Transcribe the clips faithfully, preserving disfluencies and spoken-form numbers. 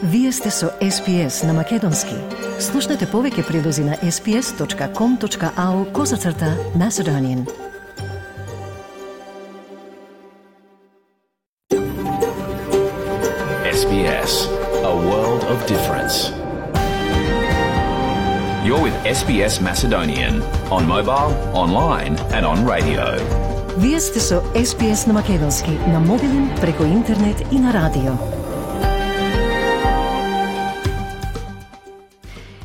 Вие сте со Ес Би Ес на Македонски. Слушнете повеќе прилози на ес би ес точка ком точка ау козацрта Macedonian. Ес Би Ес, a world of difference. You're with Ес Би Ес Macedonian on mobile, online and on radio. Вие сте со Ес Би Ес на Македонски, на мобилен, преку интернет и на радио.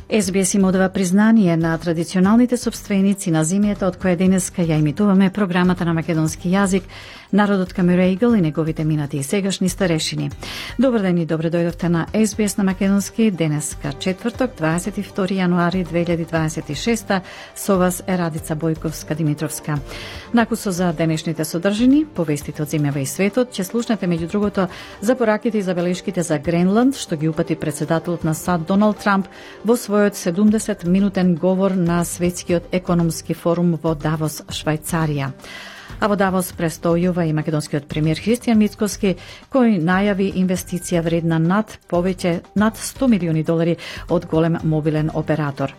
Ес Би Ес им одава признание на традиционалните собственици на земјата од која денеска ја имитуваме програмата на македонски јазик, народот Камерејгл и неговите минати и сегашни старешини. Добар ден и добре дојдовте на Ес Би Ес на македонски, денеска четврток, дваесет и втори јануари две илјади дваесет и шеста. Со вас е Радица Бојковска-Димитровска. Накусо за денешните содржини, повестите од земјава и светот, ќе слушнете меѓу другото за пораките и забелешките за Гренланд, што ги упати председателот на САД Доналд Трамп во својот седумдесет минутен говор на Светскиот економски форум во Давос, Швајцарија. А во Давос престојува и македонскиот премиер Христијан Мицкоски, кој најави инвестиција вредна над повеќе над сто милиони долари од голем мобилен оператор.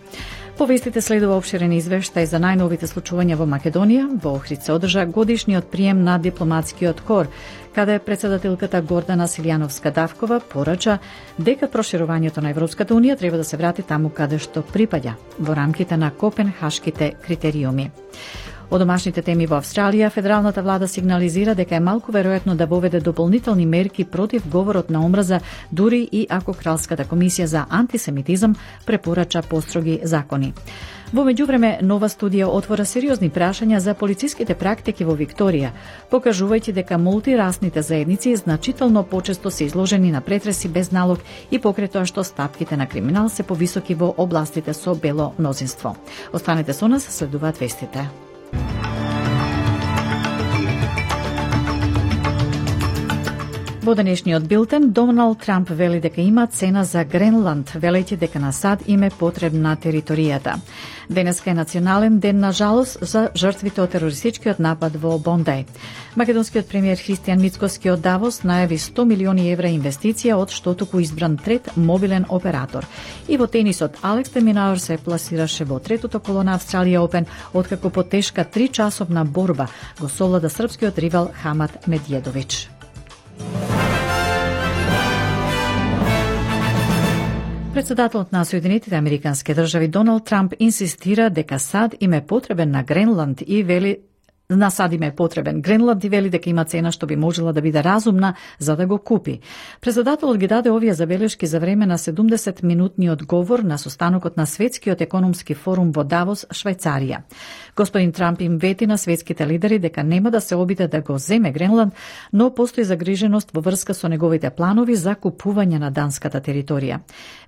По вестите следува обширен извештај за најновите случувања во Македонија. Во Охрид се одржа годишниот прием на дипломатскиот кор, каде председателката Гордана Силјановска-Давкова порача дека проширувањето на Европската унија треба да се врати таму каде што припаѓа, во рамките на копенхашките критериуми. Од домашните теми во Австралија, федералната влада сигнализира дека е малку веројатно да воведе дополнителни мерки против говорот на омраза, дури и ако Кралската комисија за антисемитизам препорача построги закони. Во меѓувреме, нова студија отвора сериозни прашања за полициските практики во Викторија, покажувајќи дека мултирасните заедници значително почесто се изложени на претреси без налог и покрај тоа што стапките на криминал се повисоки во областите со бело мнозинство. Останете со нас, следуваат вестите. Во денешниот билтен, Доналд Трамп вели дека има цена за Гренланд, велејќи дека на САД им е потребна територијата. Денеска е национален ден на жалост за жртвите од терористичкиот напад во Бондај. Македонскиот премиер Христијан Мицкоски од Давос најави сто милиони евра инвестиција од што току избран трет мобилен оператор. И во тенисот Алекс де Минауер се пласираше во третото коло на Австралија Опен, откако по тешка три часовна борба го совлада српскиот ривал Хамат Медједович. Председателот на Соединетите Американски држави Доналд Трамп инсистира дека САД им е потребен на Гренланд и вели На САД им е потребен Гренланд и вели дека има цена што би можела да биде разумна за да го купи. Председателот ги даде овие забелешки за време на седумдесет минутниот говор на состанокот на Светскиот економски форум во Давос, Швајцарија. Господин Трамп им вети на светските лидери дека нема да се обиде да го земе Гренланд, но постои загриженост во врска со неговите планови за купување на данската територија.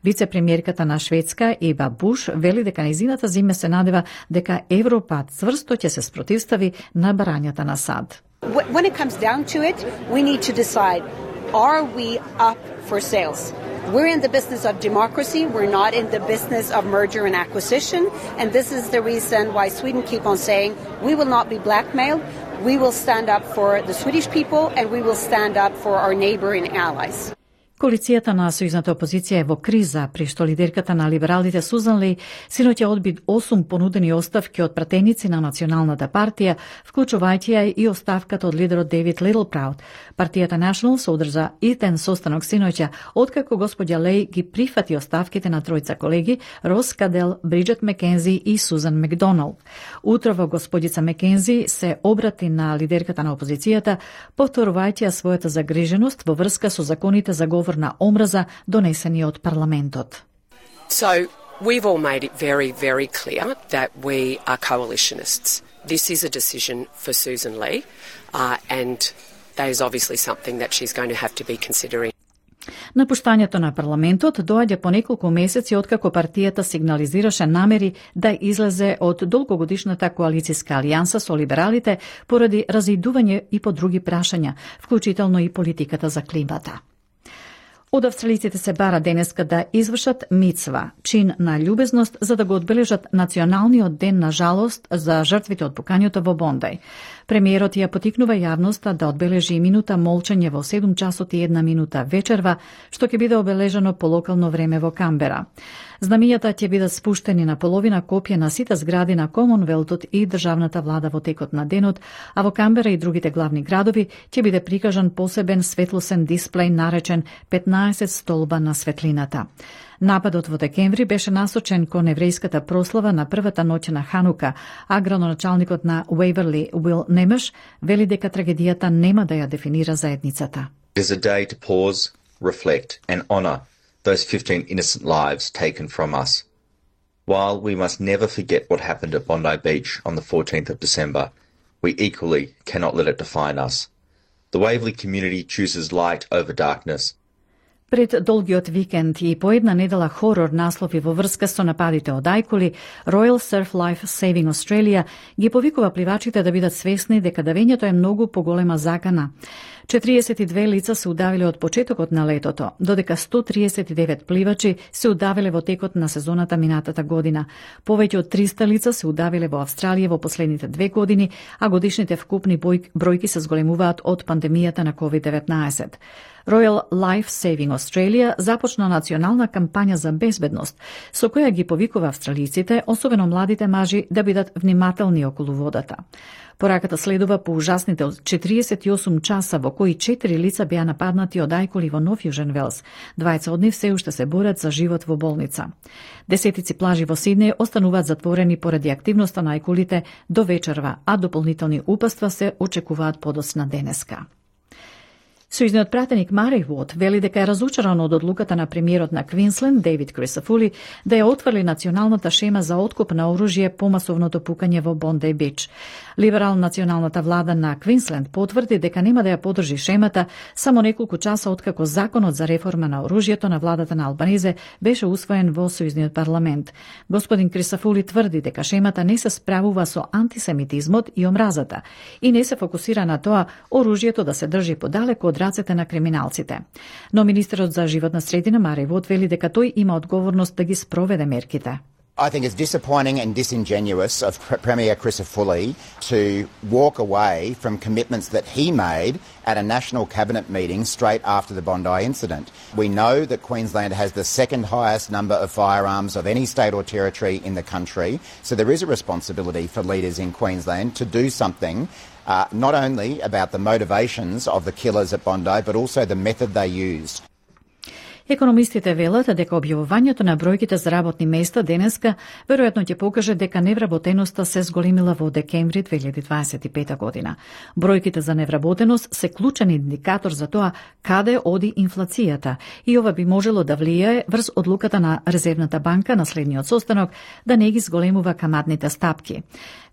Вице-премиерката на Шведска Еба Буш вели дека нејзината земја се надева дека Европа цврсто ќе се спротивстави на барањата на САД. When it comes down to it, we need to decide, are we up for sales? We're in the business of democracy, we're not in the business of merger and acquisition, and this is the reason why Sweden keep on saying, we will not be blackmailed, we will stand up for the Swedish people and we will stand up for our neighboring allies. Коалицијата на сојузната опозиција е во криза, при што лидерката на либералите Сузан Леј синоќа одби осум понудени оставки од пратеници на Националната партија, вклучувајќи ја и оставката од лидерот Дейвид Литлпраут. Партијата National се одржа итен состанок синоќа, откако господја Леј ги прифати оставките на тројца колеги, Рос Кадел, Бриджет Мекензи и Сузан Макдоналд. Утрово господица Мекензи се обрати на лидерката на опозицијата, повторувајќи ја својата загриженост во врска со законите за говор на омраза донесени од парламентот. So, we've all made it very, very clear that we are coalitionists. This is a decision for Susan Lee, uh, and that is obviously something that she's going to have to be considering. Напуштањето на парламентот доаѓа по неколку месеци откако партијата сигнализираше намери да излезе од долгогодишната коалицијска алијанса со либералите поради разидување и по други прашања, вклучително и политиката за климата. Од австралиците се бара денеска да извршат мицва, чин на љубезност за да го одбележат националниот ден на жалост за жртвите од пукањето во Бондај. Премиерот ја потикнува јавноста да одбележи минута молчење во седум часот и една минута вечерва, што ќе биде обележано по локално време во Камбера. Знамињата ќе бидат спуштени на половина копија на сите згради на Комонвелтот и државната влада во текот на денот, а во Камбера и другите главни градови ќе биде прикажан посебен светлосен дисплеј наречен петнаесет столба на светлината. Нападот во декември беше насочен кон еврејската прослава на првата ноќ на Ханука, а градоначалникот на Уейверли Уил Немеш вели дека трагедијата нема да ја дефинира заедницата. It is a day to pause, reflect and honour those fifteen innocent lives taken from us. While we must never forget what happened at Bondi Beach on the fourteenth of December, we equally cannot let it define us. The Waverley community chooses light over darkness. Пред долгиот викенд и по една недела хорор наслови во врска со нападите од ајкули, Royal Surf Life Saving Australia ги повикува пливачите да бидат свесни дека давењето е многу поголема закана. четириесет и две лица се удавиле од почетокот на летото, додека сто триесет и девет пливачи се удавиле во текот на сезоната минатата година. Повеќе од триста лица се удавиле во Австралија во последните две години, а годишните вкупни бројки се зголемуваат од пандемијата на ковид деветнаесет. Royal Life Saving Australia започна национална кампања за безбедност, со која ги повикува австралиците, особено младите мажи, да бидат внимателни околу водата. Пораката следува по ужасните четириесет и осум часа во кои четири лица беа нападнати од ајкули во Нов Јужен Велс. Двајца од нив се уште се борат за живот во болница. Десетици плажи во Сиднеј остануваат затворени поради активноста на ајкулите до вечерва, а дополнителни упатства се очекуваат подоцна денеска. Сојузниот пратеник Мари Вод вели дека е разучаран од одлуката на премиерот на Квинсленд, Дейвид Крисафули, да ја отврли националната шема за откуп на оружје по масовното пукање во Бондеј Бич. Либерал националната влада на Квинсленд потврди дека нема да ја подржи шемата само неколку часа откако законот за реформа на оружјето на владата на Албанизе беше усвоен во Сојузниот парламент. Господин Крисафули тврди дека шемата не се справува со антисемитизмот и омразата и не се фокусира на тоа оружјето да се држи подалеку од рацете на криминалците. Но министерот за животна средина Мари Вод вели дека тој има одговорност да ги спроведе мерките. I think it's disappointing and disingenuous of Premier Crisafulli to walk away from commitments that he made at a national cabinet meeting straight after the Bondi incident. We know that Queensland has the second highest number of firearms of any state or territory in the country, so there is a responsibility for leaders in Queensland to do something uh, not only about the motivations of the killers at Bondi, but also the method they used. Економистите велат дека објавувањето на бројките за работни места денеска веројатно ќе покаже дека невработеноста се зголемила во декември две илјади дваесет и пета година. Бројките за невработеност се клучен индикатор за тоа каде оди инфлацијата и ова би можело да влијае врз одлуката на Резервната банка на следниот состанок да не ги зголемува каматните стапки.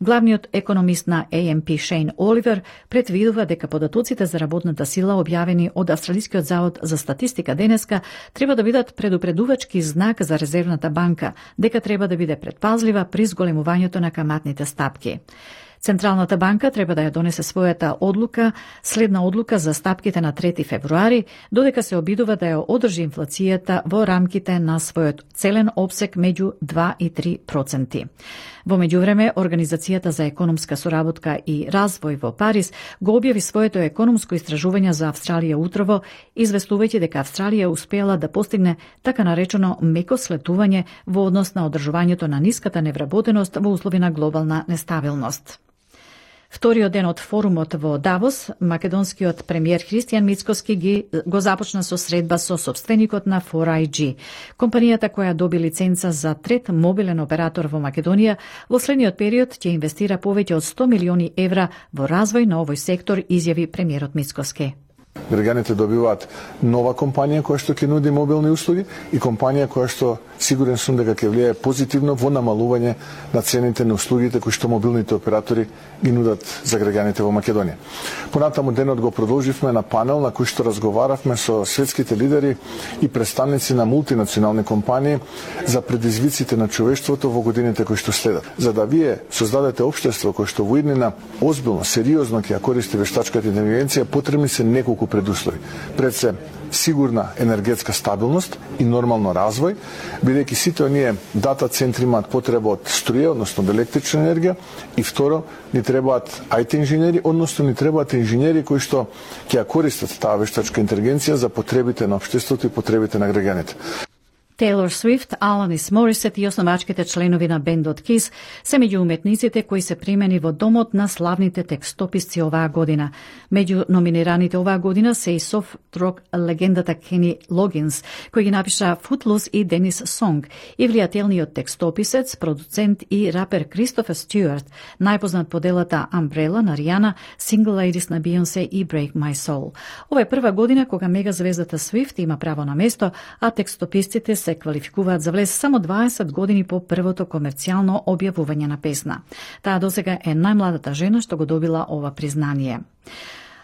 Главниот економист на А Ем Пи Шейн Оливер предвидува дека податоците за работната сила објавени од Австралискиот завод за статистика денеска треба да бидат предупредувачки знак за Резервната банка, дека треба да биде предпазлива при зголемувањето на каматните стапки. Централната банка треба да ја донесе својата одлука, следна одлука за стапките на трети февруари, додека се обидува да ја одржи инфлацијата во рамките на својот целен обсек меѓу два и три проценти. Во меѓувреме, Организацијата за економска соработка и развој во Париз го објави своето економско истражување за Австралија утрово, известувајќи дека Австралија успеала да постигне така наречено меко слетување во однос на одржувањето на ниската невработеност во услови на глобална нестабилност. Вториот ден од форумот во Давос, македонскиот премиер Христијан Мицкоски ги го започна со средба со собственикот на фор ај джи, компанијата која доби лиценца за трет мобилен оператор во Македонија. Во следниот период ќе инвестира повеќе од сто милиони евра во развој на овој сектор, изјави премиерот Мицкоски. Граѓаните добиваат нова компанија која што ќе нуди мобилни услуги и компанија која што сигурен сум дека ќе влијае позитивно во намалување на цените на услугите кои што мобилните оператори ги нудат за граѓаните во Македонија. Понатаму денот го продолживме на панел на кој што разговаравме со светските лидери и представници на мултинационални компании за предизвиците на човештвото во годините кои што следат. За да вие создадете општество кој што во иднина озбилно, сериозно ќе ја користи вештачката интелигенција, потребни се неколку предуслови. Пред се сигурна енергетска стабилност и нормално развој, бидејќи сите оние дата центри имаат потреба од струја, односно од електрична енергија, и второ, ни требаат ай ти инженери, односно ни требаат инженери кои што ќе ја користат таа вештачка интелигенција за потребите на општеството и потребите на граѓаните. Тейлор Свифт, Аланис Морисет и основачките членови на бендот Кис се меѓу уметниците кои се примени во домот на славните текстописци оваа година. Меѓу номинираните оваа година се и софт рок легендата Кени Логинс, кој ги напиша Footloose и Денис Сонг, и влијателниот текстописец, продуцент и рапер Кристофер Стюарт, најпознат по делата Umbrella на Ријана, Single Ladies на Beyoncé и Break My Soul. Ова е прва година кога мегазвездата Свифт има право на место, а текстописците се квалификуваат за влез само дваесет години по првото комерцијално објавување на песна. Таа досега е најмладата жена што го добила ова признание.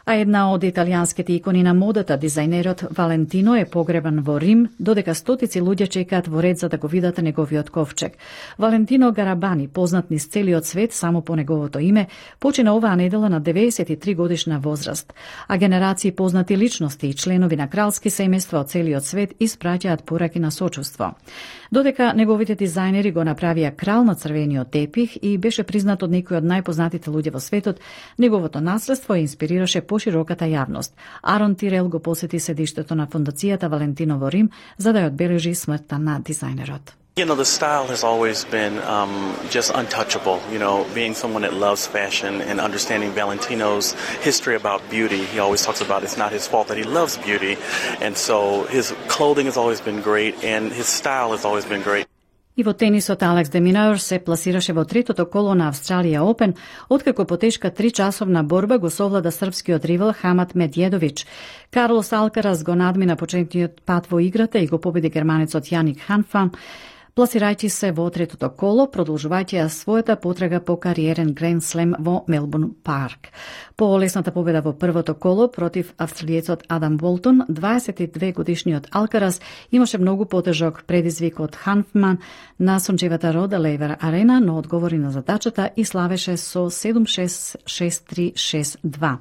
А една од италијанските икони на модата, дизајнерот Валентино, е погребан во Рим, додека стотици луѓе чекаат во ред за да го видат неговиот ковчег. Валентино Гарабани, познат низ целиот свет само по неговото име, почина оваа недела на деветдесет и три годишна возраст. А генерации познати личности и членови на кралски семејства од целиот свет испраќаат пораки на сочувство. Додека неговите дизајнери го направија крал на црвениот тепих и беше признат од некои од најпознатите луѓе во светот, неговото наследство инспирираше пошироката јавност. Арон Тирел го посети седиштето на фондацијата Валентино во Рим за да ја одбележи смртта на дизајнерот. You know, the style has always been um, just untouchable. You know, being someone that loves fashion and understanding Valentino's history about beauty, he always talks about it's not his fault that he loves beauty. And so his clothing has always been great and his style has always been great. И во тенисот Алекс де Минаур се пласираше во третото коло на Австралија Опен, откако по тешка тричасовна борба го совлада српскиот ривал Хамат Медједович. Карлос Алкарас го надмина почетниот пат во играта и го победи германецот Јаник Ханфан, пласирајќи се во третото коло, продолжувајќи ја својата потрага по кариерен Гранд Слем во Мелбурн Парк. По лесната победа во првото коло против австралиецот Адам Болтон, дваесет и две годишниот Алкарас имаше многу потежок предизвик од Ханфман на сончевата Рода Лейвер Арена, но одговори на задачата и славеше со седум шест шест три шест два.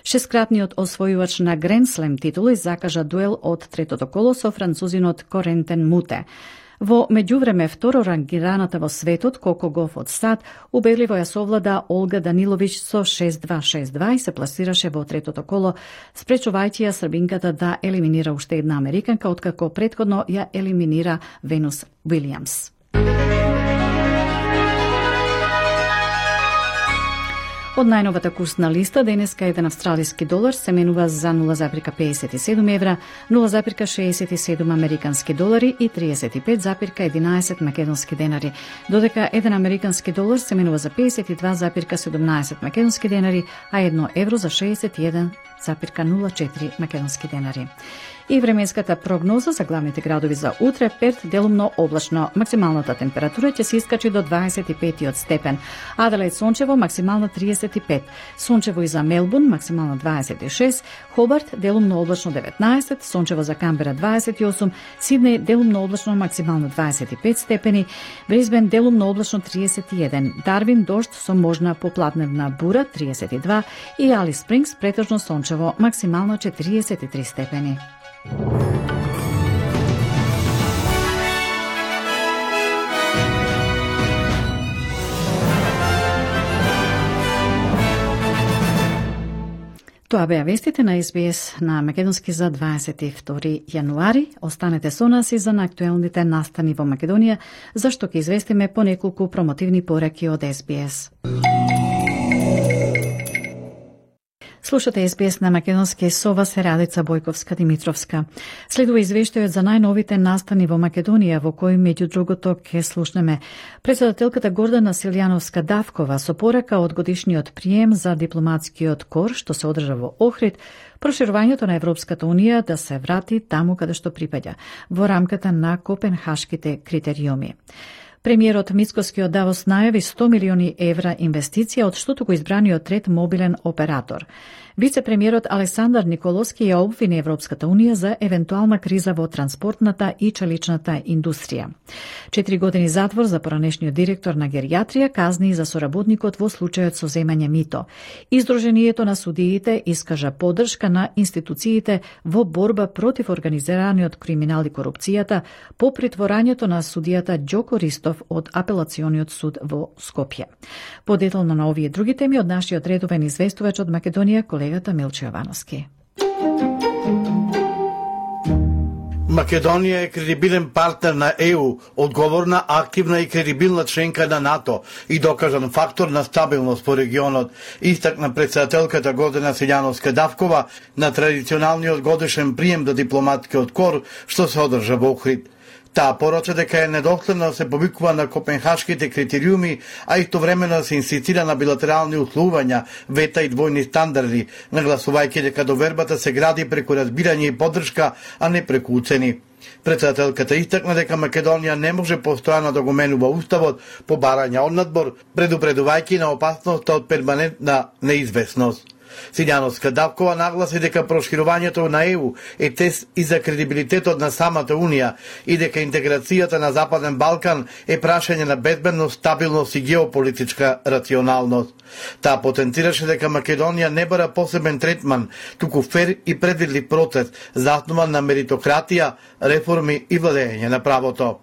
Шесткратниот освојувач на Гранд Слем титули закажа дуел од третото коло со французинот Корентен Муте. Во меѓувреме второ рангираната во светот Коко Гоф од САД убедливо ја совлада Олга Даниловиќ со шест два шест два и се пласираше во третото коло, спречувајќи ја србинката да елиминира уште една американка, откако претходно ја елиминира Венус Уилијамс. Од најновата курсна листа, денеска еден австралиски долар се менува за нула запирка педесет и седум евра, нула запирка шеесет и седум американски долари и триесет и пет запирка единаесет македонски денари, додека еден американски долар се менува за педесет и два запирка седумнаесет македонски денари, а едно евро за шеесет и еден запирка нула четири македонски денари. И временската прогноза за главните градови за утре: Перт делумно облачно, максималната температура ќе се искачи до дваесет и пет степен, Аделаид сончево, максимална триесет и пет, сончево и за Мелбурн, максимална дваесет и шест, Хобарт делумно облачно деветнаесет, сончево за Камбера дваесет и осум, Сиднеј делумно облачно, максимална дваесет и пет степени, Брисбен делумно облачно триесет и еден, Дарвин дожд со можна попладневна бура триесет и два и Алис Спрингс претежно сончево, максимално четириесет и три степени. Тоа беа вестите на Ес Би Ес на македонски за дваесет и втори јануари. Останете со нас и за наактуелните настани во Македонија, зашто ќе известиме по неколку промотивни пораки од Ес Би Ес. Слушате Ес Би Ес на македонски, со вас е Радица Бојковска-Димитровска. Следува извештајот за најновите настани во Македонија, во кој меѓу другото ќе слушнеме председателката Гордана Силјановска-Давкова со порака од годишниот прием за дипломатскиот кор што се одржа во Охрид, проширувањето на Европската Унија да се врати таму каде што припаѓа, во рамката на копенхашките критериуми. Премиерот Мицкоски од Давос најави сто милиони евра инвестиција од штото го избраниот трет мобилен оператор. Вице-премиерот Александар Николовски ја обвини Европската унија за евентуална криза во транспортната и челичната индустрија. Четири години затвор за поранешниот директор на геријатрија, казни за соработникот во случајот со земање мито. Издруженијето на судиите искажа поддршка на институциите во борба против организираниот криминал и корупцијата по притворањето на судијата Ѓоко Ристов од апелациониот суд во Скопје. Подетално на овие други теми од нашиот редовен известувач од Македонија, колегата Милчо Јовановски. Македонија е кредибилен партнер на Е У, одговорна, активна и кредибилна членка на НАТО и докажан фактор на стабилност по регионот, истакна председателката Гордана Силјановска-Давкова на традиционалниот годишен прием до дипломатскиот кор што се одржа во Охрид. Таа порача дека е недоследно да се повикува на копенхашките критериуми, а истовремено да се инсистира на билатерални условувања, вета и двојни стандарди, нагласувајќи дека довербата се гради преку разбирање и поддршка, а не преку уцени. Председателката истакна дека Македонија не може постојано да го менува уставот по барање од надбор, предупредувајќи на опасноста од перманентна неизвестност. Силјановска-Давкова нагласи дека проширувањето на Е У е тест и за кредибилитетот на самата Унија и дека интеграцијата на Западен Балкан е прашање на безбедност, стабилност и геополитичка рационалност. Таа потенцираше дека Македонија не бара посебен третман, туку фер и предвидлив процес, заснуван на меритократија, реформи и владење на правото.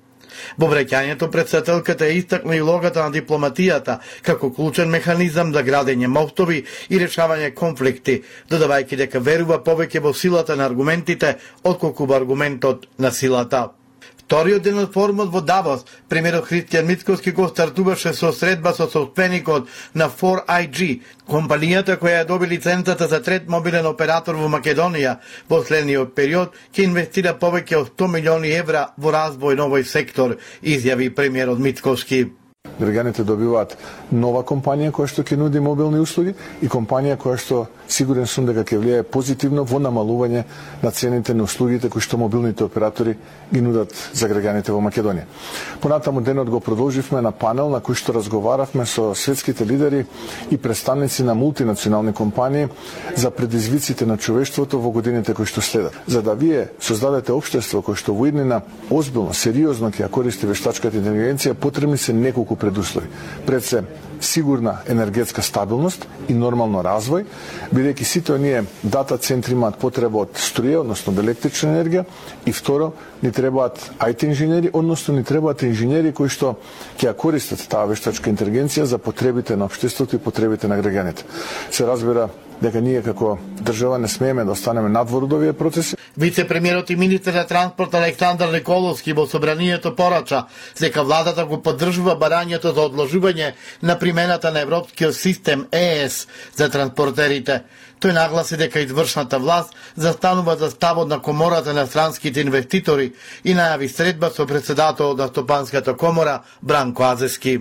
Во враќањето председателката е истакна и улогата на дипломатијата како клучен механизам за градење мостови и решавање конфликти, додавајќи дека верува повеќе во силата на аргументите отколку во аргументот на силата. Вториот ден од форумот во Давос, премиерот Христијан Мицкоски го стартуваше со средба со собственикот на фор ај џи, компанијата која ја доби лиценцата за трет мобилен оператор во Македонија. Во следниот период ќе инвестира повеќе од сто милиони евра во развој на овој сектор, изјави премиерот Мицкоски. Граѓаните добиваат нова компанија која што ќе нуди мобилни услуги и компанија која што сигурен сум дека ќе влијае позитивно во намалување на цените на услугите кои што мобилните оператори ги нудат за граѓаните во Македонија. Понатаму денот го продолживме на панел на кој што разговаравме со светските лидери и представници на мултинационални компании за предизвиците на човештвото во годините кои што следат. За да вие создадете општество кој што во иднина озбилно, сериозно ќе ја користи вештачката интелигенција, потребни се неколку предуслови. Пред се сигурна енергетска стабилност и нормално развој, бидејќи сите оние дата центри имаат потреба од струја, односно од електрична енергија, и второ, ни требаат ај ти инженери, односно ни требаат инженери кои што ќе ја користат таа вештачка интелигенција за потребите на општеството и потребите на граѓаните. Се разбира дека ние како држава не смееме да останеме надвор од овие процеси. Вице-премиерот и министер на транспорт Александар Николовски во собранието порача дека владата го поддржува барањето за одложување на примената на европскиот систем Е Ес за транспортерите. Тој нагласи дека извршната власт застанува за ставот на комората на странските инвеститори и најави средба со председателот на Стопанската комора Бранко Азески.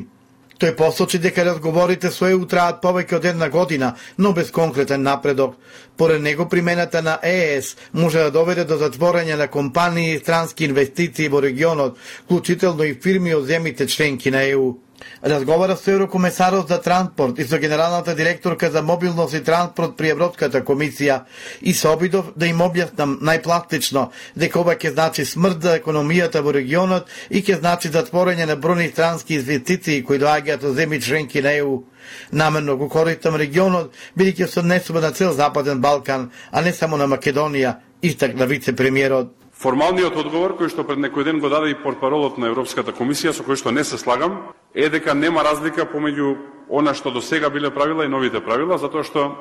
Тој посочи дека разговорите со Е У траат повеќе од една година, но без конкретен напредок. Поред него примената на Е Ес може да доведе до затворање на компании и странски инвестиции во регионот, вклучително и фирми од земјите членки на Е У. Разговара со еврокомесарот за транспорт и со генералната директорка за мобилност и транспорт при Европската комисија и се обидов да им објаснам најпластично дека ова ќе значи смрт за економијата во регионот и ќе значи затворање на бројни странски инвестиции кои доаѓаат од земји членки на Е У. Намерно го користам регионот, бидејќи се однесува на цел Западен Балкан, а не само на Македонија, истакна вице-премиерот. Формалниот одговор кој што пред некој ден го даде и портпаролот на Европската комисија, со кој што не се слагам, е дека нема разлика помеѓу она што до сега биле правила и новите правила, затоа што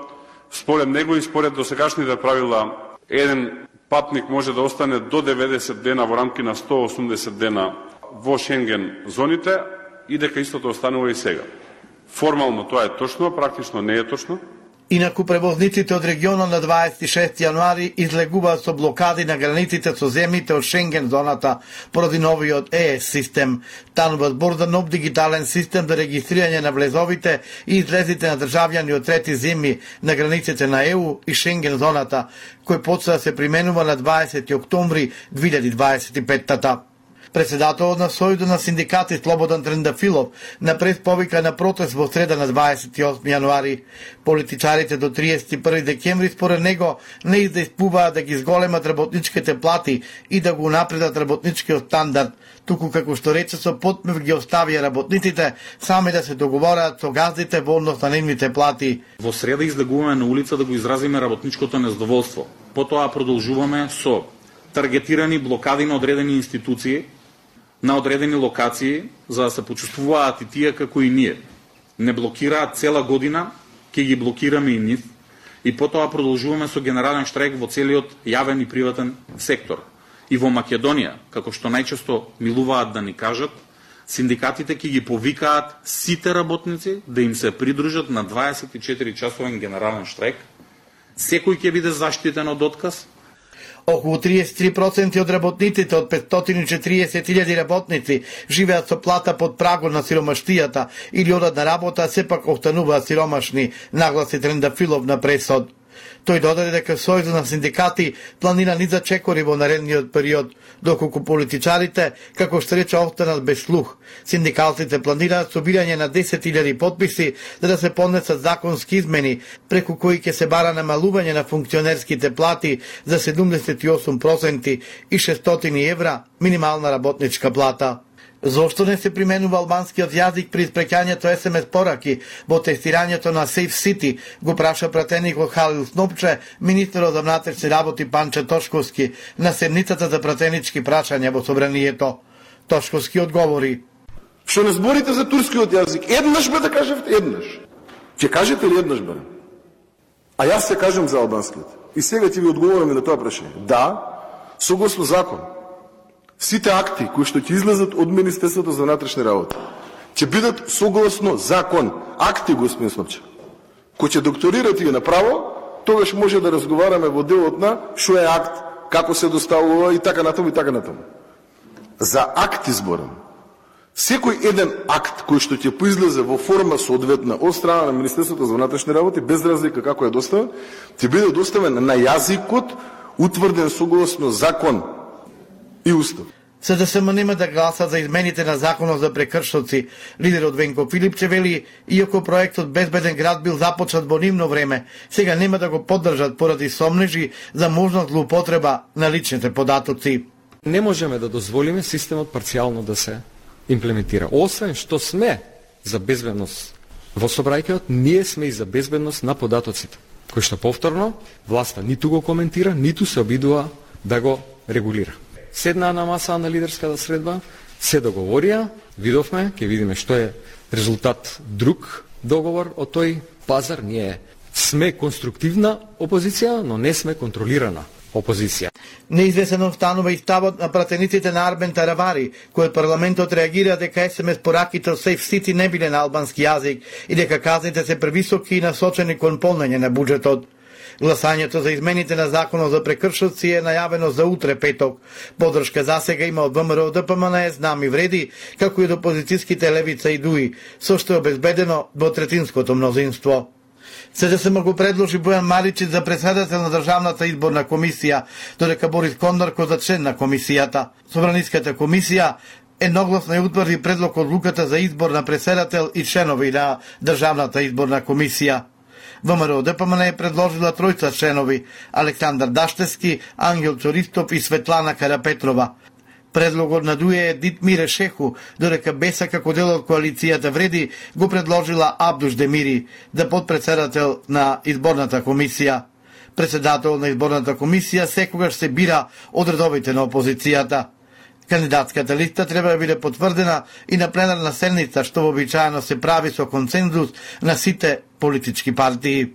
според него и според досегашните правила еден патник може да остане до деветдесет дена во рамки на сто и осумдесет дена во Шенген зоните и дека истото останува и сега. Формално тоа е точно, практично не е точно. Инаку превозниците од регионот на дваесет и шести јануари излегуваат со блокади на границите со земјите од Шенген зоната поради новиот Е Ес систем. Станува збор за нов дигитален систем за регистрирање на влезовите и излезите на државјани од трети земји на границите на Е У и Шенген зоната, кој почна да се применува на дваесети октомври две илјади дваесет и петта. Председателот на Сојузот на синдикати Слободан Трендафилов на прес повика на протест во среда на дваесет и осми јануари. Политичарите до триесет и први декември според него не издејствуваат да ги зголемат работничките плати и да го напредат работничкиот стандард, туку како што рече со потмев ги оставија работниците сами да се договораат со газдите во однос на нивните плати. Во среда излегуваме на улица да го изразиме работничкото незадоволство. Потоа продолжуваме со таргетирани блокади на одредени институции, на одредени локации, за да се почувствуваат и тие како и ние. Не блокираат цела година, ќе ги блокираме и нив, и потоа продолжуваме со генерален штрајк во целиот јавен и приватен сектор. И во Македонија, како што најчесто милуваат да ни кажат, синдикатите ќе ги повикаат сите работници да им се придружат на дваесет и четири часовен генерален штрајк. Секој ќе биде заштитен од отказ. Околу триесет и три проценти од работниците од петстотини и четириесет илјади работници живеат со плата под прагот на сиромаштијата или одат на работа, сепак остануваат сиромашни, нагласи Трендафилов на пресод. Тој додаде дека Сојузот на синдикати планира низа чекори во наредниот период, доколку политичарите, како што рече, останат без слух. Синдикалците планираат собирање на десет илјади потписи за да се поднесат законски измени, преку кои ќе се бара намалување на функционерските плати за седумдесет и осум проценти и шестстотини евра минимална работничка плата. Зошто не се применува албанскиот јазик при испреќањето ес ем ес пораки во тестирањето на Safe City, го праша пратеникот Халил Снопче, министерот за внатрешни работи Панче Тошковски на седницата за пратенички прашања во собранието. Тошковски одговори: Што не зборите за турскиот јазик, еднаш бе да кажете еднаш. Ќе кажете ли еднаш бе? А јас се кажам за албанскиот. И сега ќе ви одговорам и на тоа прашање. Да, согласно закон, сите акти кои што ќе излезат од Министерството за внатрешни работи ќе бидат согласно закон. Акти, господин Снопче. Кој ќе докторирате и направо, тогаш може да разговараме во делот на што е акт, како се доставува и така натаму и така натаму. За акти зборам. Секој еден акт кој што ќе поизлезе во форма соодветна од страна на Министерството за внатрешни работи, без разлика како е доставен, ќе биде доставен на јазикот утврден согласно закон и устав. Се да се нема да гласа за измените на законот за прекршоци, лидерот Венко Филипче вели, иако проектот Безбеден град бил започнат во нивно време, сега нема да го поддржат поради сомнежи за можна злоупотреба на личните податоци. Не можеме да дозволиме системот парцијално да се имплементира. Освен што сме за безбедност во собрајкеот, ние сме и за безбедност на податоците, кој што повторно власта ниту го коментира, ниту се обидува да го регулира. Седнаа на маса на лидерската средба, се договорија, видовме, ќе видиме што е резултат друг договор од тој пазар. Ние сме конструктивна опозиција, но не сме контролирана опозиција. Неизвесен останува и ставот на пратениците на Арбен Таравари, кој парламентот реагира дека ес ем ес пораките од Safe City не биле на албански јазик и дека казните се превисоки и насочени кон полнење на буџетот. Гласањето за измените на законот за прекршоци е најавено за утре петок. Поддршка засега има од ВМРО Д П М Н, знам и вреди, како и од опозицијските Левица и Дуи, со што е обезбедено во третинското мнозинство. Се да се го предложи Бојан Маричич за председател на Државната изборна комисија, додека Борис Кондарко за член на комисијата. Собраниската комисија едногласно ја утврди предлог одлуката за избор на председател и членови на Државната изборна комисија. ВМРО Д П М Н е предложила тројца членови: Александар Даштевски, Ангел Цористов и Светлана Карапетрова. Предлогот на Дуе е Дитмире Шеху, додека Беса како дел од коалицијата Вреди го предложила Абдуш Демири да подпредседател на изборната комисија. Председател на изборната комисија секогаш се бира од редовите на опозицијата. Кандидатската листа треба да биде потврдена и на пленарна седница, што вообичаено се прави со консензус на сите политички партии.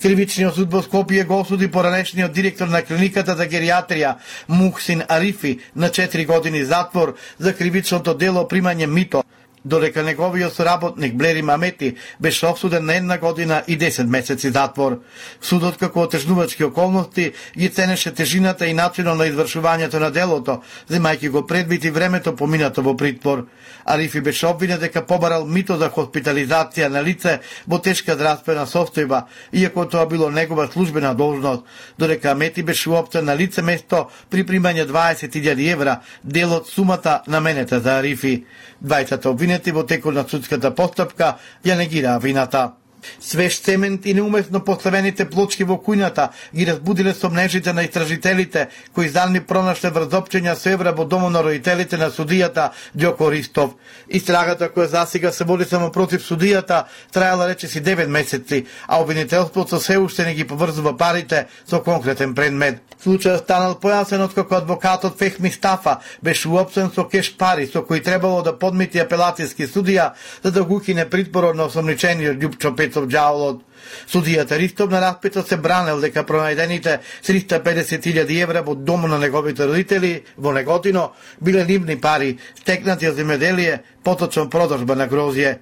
Кривичниот суд во Скопје го осуди поранешниот директор на клиниката за гериатрија Мухсин Арифи на четири години затвор за кривичното дело примање мито. додека неговиот соработник Блери Мамети беше осуден на една година и десет месеци затвор. Судот како отежнувачки околности ги ценеше тежината и начинот на извршувањето на делото, земајќи го предвид и времето поминато во притвор. Арифи беше обвинет дека побарал мито за хоспитализација на лице во тешка здравствена состојба, иако тоа било негова службена должност, додека Амети беше уопцен на лице место при примање дваесет илјади евра, дел од сумата наменета за Арифи. Двајцата обвинети во текот на судската постапка ја негираа вината. Свеж цемент и неумесно поставените плочки во кујната ги разбудиле сомнежите на истражителите, кои заедно пронашле врзопчења со евра во домот на родителите на судијата Ѓоко Ристов. Истрагата која засега се води само против судијата траела речиси девет месеци, а обвинителството се уште не ги поврзува парите со конкретен предмет. Случајот станал појасен откако адвокатот Фехми Стафа беше уопсен со кеш пари со кои требало да подмити апелацијски судија за да го укине притворот на осомничениот Љупчо Пецов Ѓаволот. Судијата Ристов на распитот се бранел дека пронајдените триста и педесет илјади евра во домот на неговите родители во Неготино биле нивни пари, стекнати од земјоделие, поточно продажба на грозје.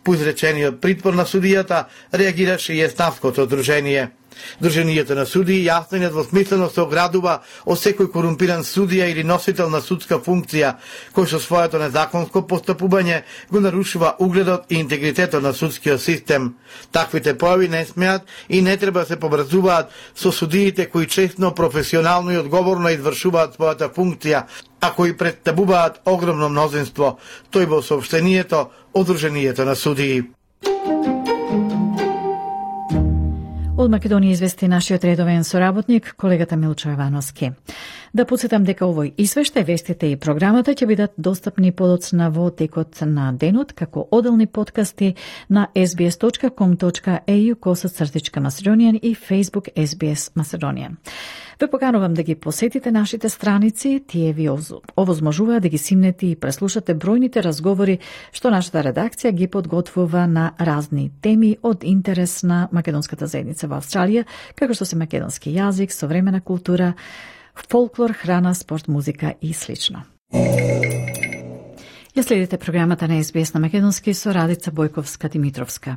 По изречениот притвор на судијата реагираше и Еснавското одружение. Друженијето на судии јасно и недвосмислено се оградува од секој корумпиран судија или носител на судска функција, кој со своето незаконско постапување го нарушува угледот и интегритетот на судскиот систем. Таквите појави не смеат и не треба да се поврзуваат со судиите кои честно, професионално и одговорно извршуваат својата функција, а кои представуваат огромно мнозинство, тој во соопштението Одруженијето на судии. Од Македонија извести нашиот редовен соработник, колегата Милчо Јовановски. Да подсетам дека овој извештај, вестите и програмата ќе бидат достапни подоцна во текот на денот како оделни подкасти на ес би ес точка ком точка е ю косац цртичка Macedonian и Facebook ес би ес Macedonian. Ве поканувам да ги посетите нашите страници, тие ви овозможуваат да ги симнете и преслушате бројните разговори што нашата редакција ги подготвува на разни теми од интерес на македонската заедница во Австралија, како што се македонски јазик, современа култура, фолклор, храна, спорт, музика и слично. Ја следите програмата на ес би ес на македонски со Радица Бојковска-Димитровска.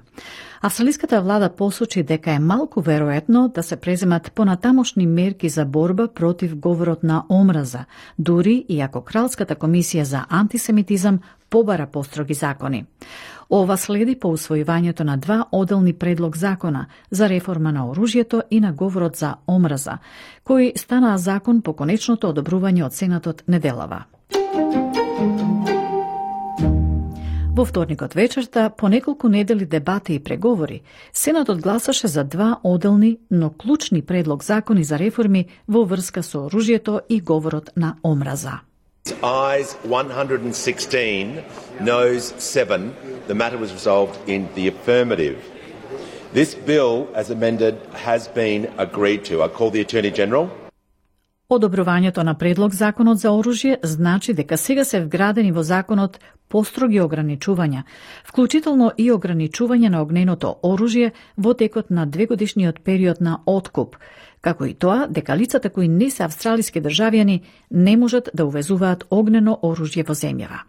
Австралиската влада посочи дека е малку веројатно да се преземат понатамошни мерки за борба против говорот на омраза, дури и ако Кралската комисија за антисемитизам побара построги закони. Ова следи по усвојувањето на два оделни предлог закона за реформа на оружјето и на говорот за омраза, кои станаа закон по конечното одобрување од Сенатот неделава. Во вторникот вечерта, по неколку недели дебати и преговори, Сенатот гласаше за два оделни, но клучни предлог закони за реформи во врска со оружјето и говорот на омраза. Ayes one hundred sixteen, noes seven. The matter was resolved in the affirmative. This bill, as amended, has been agreed to. I call the Attorney General. Одобрувањето на предлог законот за оружје значи дека сега се вградени во законот построги ограничувања, вклучително и ограничување на огненото оружје во текот на двегодишниот период на откуп, како и тоа дека лицата кои не се австралиски државјани не можат да увезуваат огнено оружје во земјава.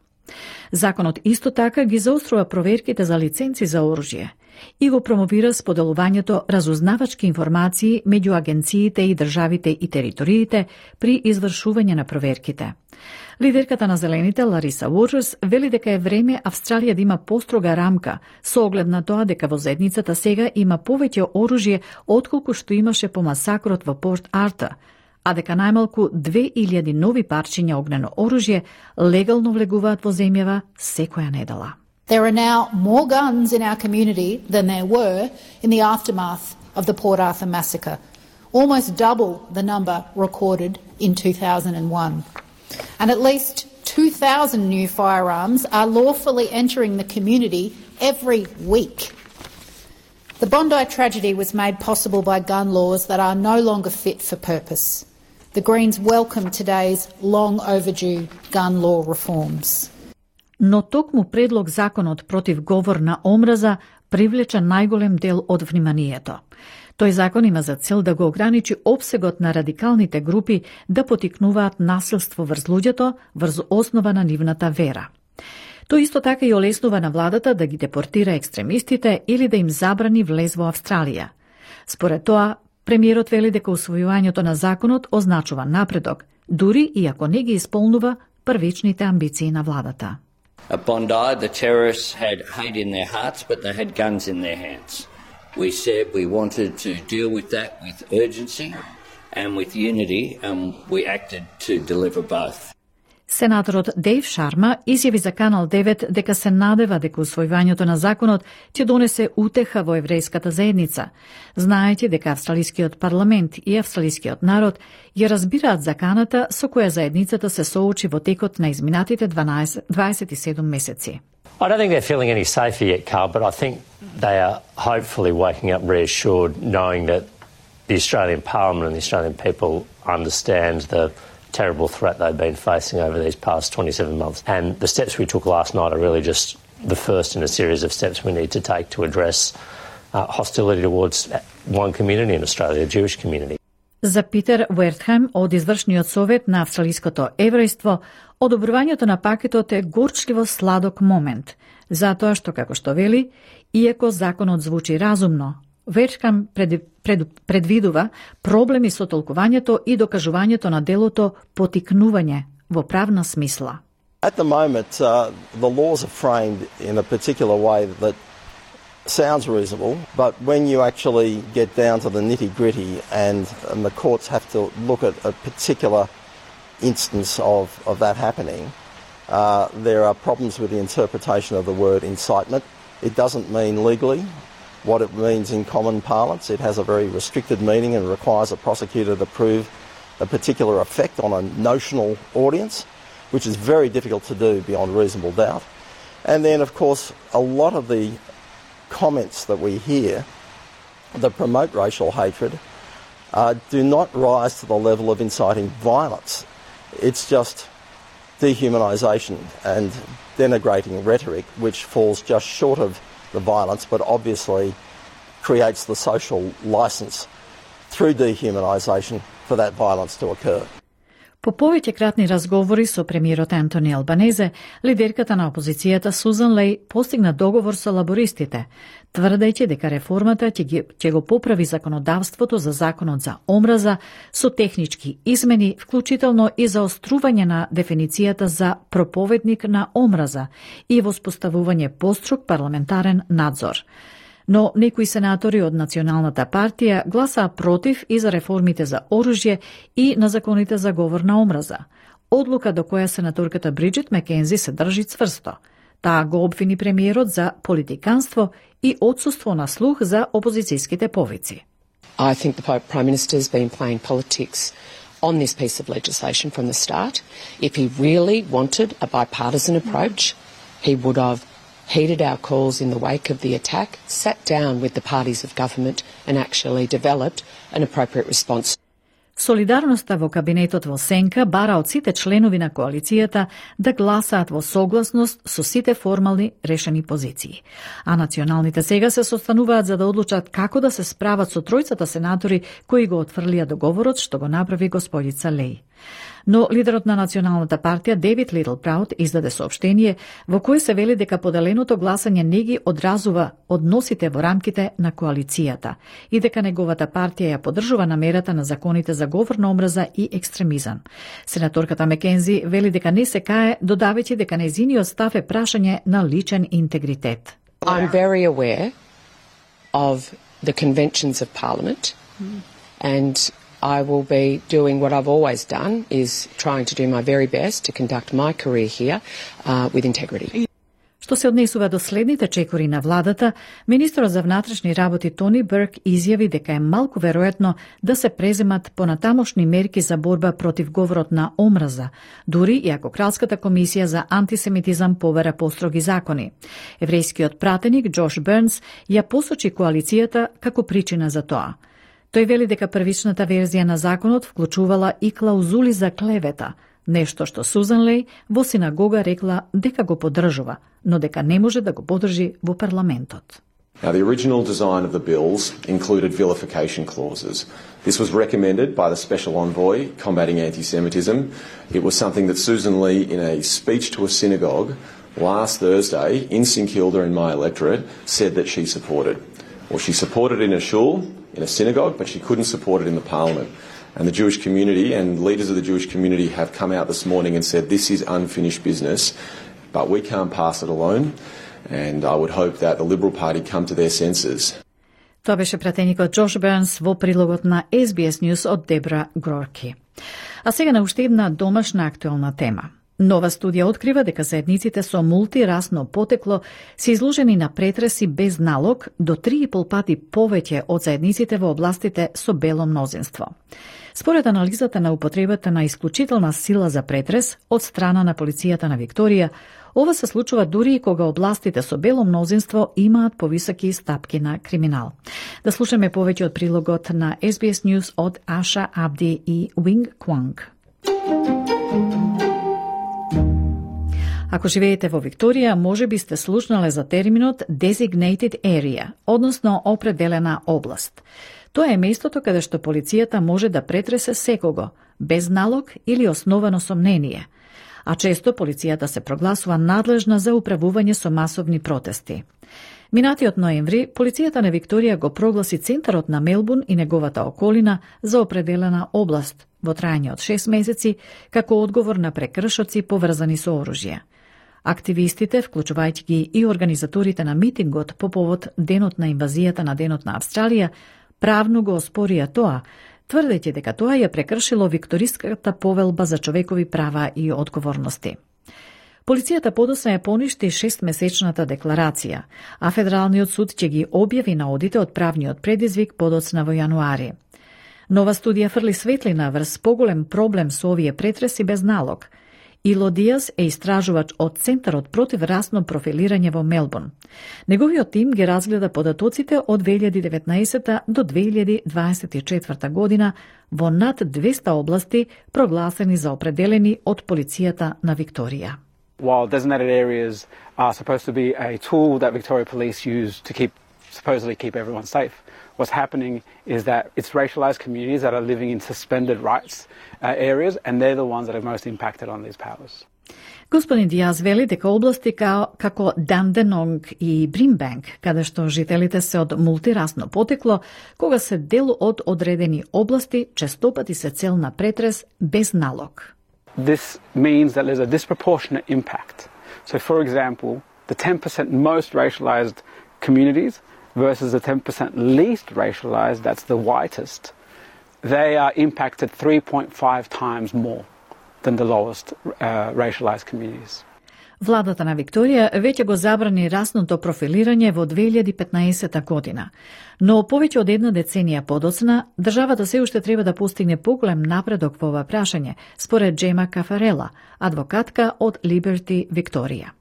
Законот исто така ги заострува проверките за лиценци за оружје и го промовира споделувањето разузнавачки информации меѓу агенциите и државите и териториите при извршување на проверките. Лидерката на Зелените, Лариса Уорджерс, вели дека е време Австралија да има построга рамка со оглед на тоа дека во заедницата сега има повеќе оружје отколку што имаше по масакрот во Порт Арта, а дека најмалку две илјади нови парчиња огнено оружје легално влегуваат во земјава секоја недела. There are now more guns in our community than there were in the aftermath of the Port Arthur massacre, almost double the number recorded in two thousand one. And at least two thousand new firearms are lawfully entering the community every week. The Bondi tragedy was made possible by gun laws that are no longer fit for purpose. The Greens welcome today's long overdue gun law reforms. Но токму предлог законот против говор на омраза привлече најголем дел од вниманието. Тој закон има за цел да го ограничи опсегот на радикалните групи да потикнуваат насилство врз луѓето врз основа на нивната вера. Тој исто така и олеснува на владата да ги депортира екстремистите или да им забрани влез во Австралија. Според тоа, премиерот вели дека усвојувањето на законот означува напредок, дури и ако не ги исполнува првичните амбиции на владата. At Bondi, the terrorists had hate in their hearts, but they had guns in their hands. We said we wanted to deal with that with urgency and with unity, and we acted to deliver both. Сенаторот Дейв Шарма изјави за Канал девет дека се надева дека усвојувањето на законот ќе донесе утеха во еврејската заедница, знаејќи дека австралискиот парламент и австралискиот народ ја разбираат заканата со која заедницата се соочи во текот на изминатите дваесет и седум месеци. I don't think they're feeling any safer yet, Carl, but I think they are hopefully waking up reassured, knowing that the Australian Parliament and the Australian people understand the terrible threat they've been facing over these past twenty-seven months. And the steps we took last night are really just the first in a series of steps we need to take to address uh, hostility towards one community in Australia, the Jewish community. За Питер Уертхајм од Извршниот совет на австралиското еврејство, одобрувањето на пакетот е горчливо сладок момент, затоа што, како што вели, иако законот звучи разумно, Уертхајм пред, пред, предвидува проблеми со толкувањето и докажувањето на делото потикнување во правна смисла. At the moment, uh, the laws are framed in a particular way that sounds reasonable, but when you actually get down to the nitty-gritty and, and the courts have to look at a particular instance of, of that happening, uh, there are problems with the interpretation of the word incitement. It doesn't mean legally what it means in common parlance. It has a very restricted meaning and requires a prosecutor to prove a particular effect on a notional audience, which is very difficult to do beyond reasonable doubt. And then, of course, a lot of the comments that we hear that promote racial hatred uh, do not rise to the level of inciting violence. It's just dehumanisation and denigrating rhetoric, which falls just short of the violence, but obviously creates the social licence through dehumanisation for that violence to occur. По повеќе кратни разговори со премиерот Антони Албанезе, лидерката на опозицијата Сузан Леј постигна договор со лабористите, тврдејќи дека реформата ќе, ги, ќе го поправи законодавството за законот за омраза со технички измени, вклучително и за заострување на дефиницијата за проповедник на омраза и воспоставување поструг парламентарен надзор. Но некои сенатори од Националната партија гласаа против и за реформите за оружје и на законите за говор на омраза. Одлука до која сенаторката Бриджит Макензи се држи цврсто. Таа го обвини премиерот за политиканство и отсуство на слух за опозицијските повици. I think the Prime Minister's been playing politics on this piece of legislation from the start. If he really wanted a bipartisan approach, he would have heeded our calls in the wake of the attack, sat down with the parties of government and actually developed an appropriate response. Солидарноста во кабинетот во сенка бара од сите членови на коалицијата да гласаат во согласност со сите формални решени позиции. А националните сега се состануваат за да одлучат како да се справат со тројцата сенатори кои го отфрлија договорот што го направи господица Леј. Но лидерот на Националната партија Дейвид Литл Праут издаде соопштение во кое се вели дека поделеното гласање не ги одразува односите во рамките на коалицијата и дека неговата партија ја поддржува намерата на законите за говор на омраза и екстремизам. Сенаторката Макензи вели дека не се кае, додавајќи дека нејзиниот став е прашање на личен интегритет. I'm very aware of the conventions of Parliament and I will be doing what I've always done, is trying to do my very best to conduct my career here uh, with integrity. Што се однесува до следните чекори на владата, министерот за внатрешни работи Тони Берк изјави дека е малку веројатно да се преземат понатамошни мерки за борба против говорот на омраза, дури и ако Кралската комисија за антисемитизам повера построги закони. Еврејскиот пратеник Џош Бернс ја посочи коалицијата како причина за тоа. Тој вели дека првичната верзија на законот вклучувала и клаузули за клевета, нешто што Сузан Леј во синагога рекла дека го поддржува, но дека не може да го поддржи во парламентот. Now, the original design of the bills included vilification clauses. This was recommended by the Special Envoy combating anti-Semitism. It was something that Susan Lee, in a speech to a synagogue, last Thursday in St Kilda in my electorate said that she supported. Well, she supported in a shul, in a synagogue, but she couldn't support it in the parliament. And the Jewish community and leaders of the Jewish community have come out this morning and said this is unfinished business, but we can't pass it alone. And I would hope that the Liberal Party come to their senses. Тоа беше пратеникот Джош Бернс во прилогот на Ес Би Ес News од Дебра Грорки. А сега на уште една домашна актуелна тема. Нова студија открива дека заедниците со мултирасно потекло се изложени на претреси без налог до три и пол пати повеќе од заедниците во областите со бело мнозинство. Според анализата на употребата на исклучителна сила за претрес од страна на полицијата на Викторија, ова се случува дури и кога областите со бело мнозинство имаат повисоки стапки на криминал. Да слушаме повеќе од прилогот на Ес Би Ес News од Аша Абди и Wing Kwang. Ако живеете во Викторија, може би сте слушнале за терминот designated area, односно определена област. Тоа е местото каде што полицијата може да претресе секого, без налог или основано сомнение, а често полицијата се прогласува надлежна за управување со масовни протести. Минатиот ноември, полицијата на Викторија го прогласи центарот на Мелбурн и неговата околина за определена област во трајање од шест месеци како одговор на прекршоци поврзани со оружје. Активистите, вклучувајќи ги и организаторите на митингот по повод денот на инвазијата на денот на Австралија, правно го оспорија тоа, тврдејќи дека тоа ја прекршило Викториската повелба за човекови права и одговорности. Полицијата подоцна ја поништи шестмесечната декларација, а Федералниот суд ќе ги објави на одите од правниот предизвик подоцна во јануари. Нова студија фрли светлина врз поголем проблем со овие претреси без налог. Ило Диас е истражувач од Центарот против расно профилирање во Мелбурн. Неговиот тим ги разгледа податоците од две илјади и деветнаесетта до две илјади дваесет и четврта година во над двеста области прогласени за определени од полицијата на Викторија. While designated areas are supposed to be a tool that Victoria Police use to keep, supposedly keep everyone safe, what's happening is that it's racialised communities that are living in suspended rights uh, areas, and they're the ones that are most impacted on these powers. Господин Диаз вели дека области као, како Данденонг и Бримбанк, каде што жителите се од мултирасно потекло, кога се дел од одредени области, честопати се цел на претрес без налог. This means that there's a disproportionate impact. So, for example, the ten percent most racialised communities versus the ten percent least racialised, that's the whitest, they are impacted three point five times more than the lowest uh, racialised communities. Владата на Викторија веќе го забрани расното профилирање во две илјади и петнаесетта година, но повеќе од една деценија подоцна, државата се уште треба да постигне поголем напредок во ова прашање, според Джема Кафарела, адвокатка од Liberty Викторија.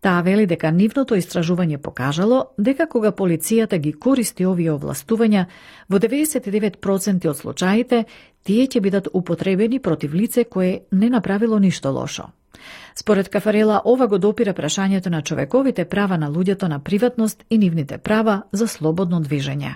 Таа вели дека нивното истражување покажало дека кога полицијата ги користи овие овластувања, во деветдесет и девет проценти од случаите тие ќе бидат употребени против лице кое не направило ништо лошо. Според Кафарела, ова го допира прашањето на човековите права на луѓето на приватност и нивните права за слободно движење.